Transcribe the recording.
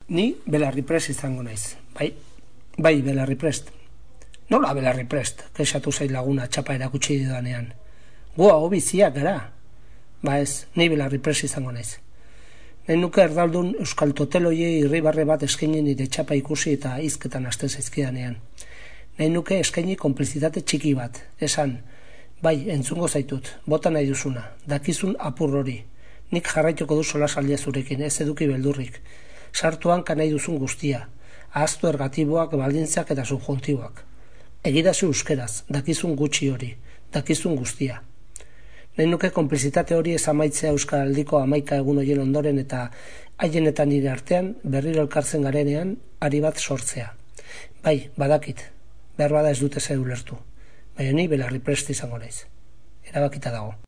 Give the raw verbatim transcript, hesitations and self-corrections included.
Ni belarri prest izango naiz, bai, bai belarri prest. Nola belarri prest, kexatu zait laguna txapa erakutsi didanean. Gu hau biziak gara, ba ez, ni belarri prest izango naiz. Nahi nuke erdaldun euskal toteloiei irribarre bat eskaini nire txapa ikusi eta hizketan hasten zaizkidanean. Nahi nuke eskaini konplizitate txiki bat, esan, bai, entzungo zaitut, bota nahi duzuna, dakizun apur hori. Nik jarraituko du solasaldia zurekin, ez eduki beldurrik. Sartuan nahi duzun guztia, ahaztu ergatiboak, baldintzak eta subjuntiboak. Egidazu euskeraz, dakizun gutxi hori, dakizun guztia. Nahi nuke konplizitate hori ez amaitzea euskaldiko hamaika egun horien ondoren eta haien eta nire artean berriro elkartzen garenean ari bat sortzea. Bai, badakit, behar bada ez dute zer ulertu, baina ni belarri prest izango naiz. Erabakita dago.